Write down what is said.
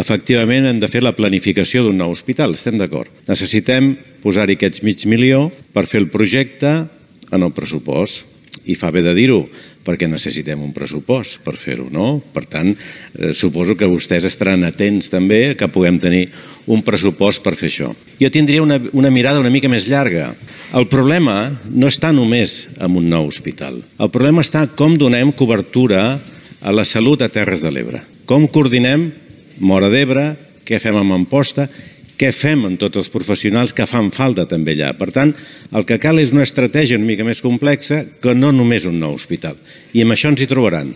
efectivament hem de fer la planificació d'un nou hospital, estem d'acord. Necessitem posar-hi aquests $500.000 per fer el projecte en el pressupost. I fa bé de dir-ho, perquè necessitem un pressupost per fer-ho, no? Per tant, suposo que vostès estaran atents també que puguem tenir un pressupost per fer això. Jo tindria una mirada una mica més llarga. El problema no està només en un nou hospital. El problema està com donem cobertura a la salut a Terres de l'Ebre. Com coordinem Móra d'Ebre, què fem amb Amposta, què fem amb tots els professionals que fan falta també allà. Per tant, el que cal és una estratègia una mica més complexa que no només un nou hospital. I amb això ens hi trobaran.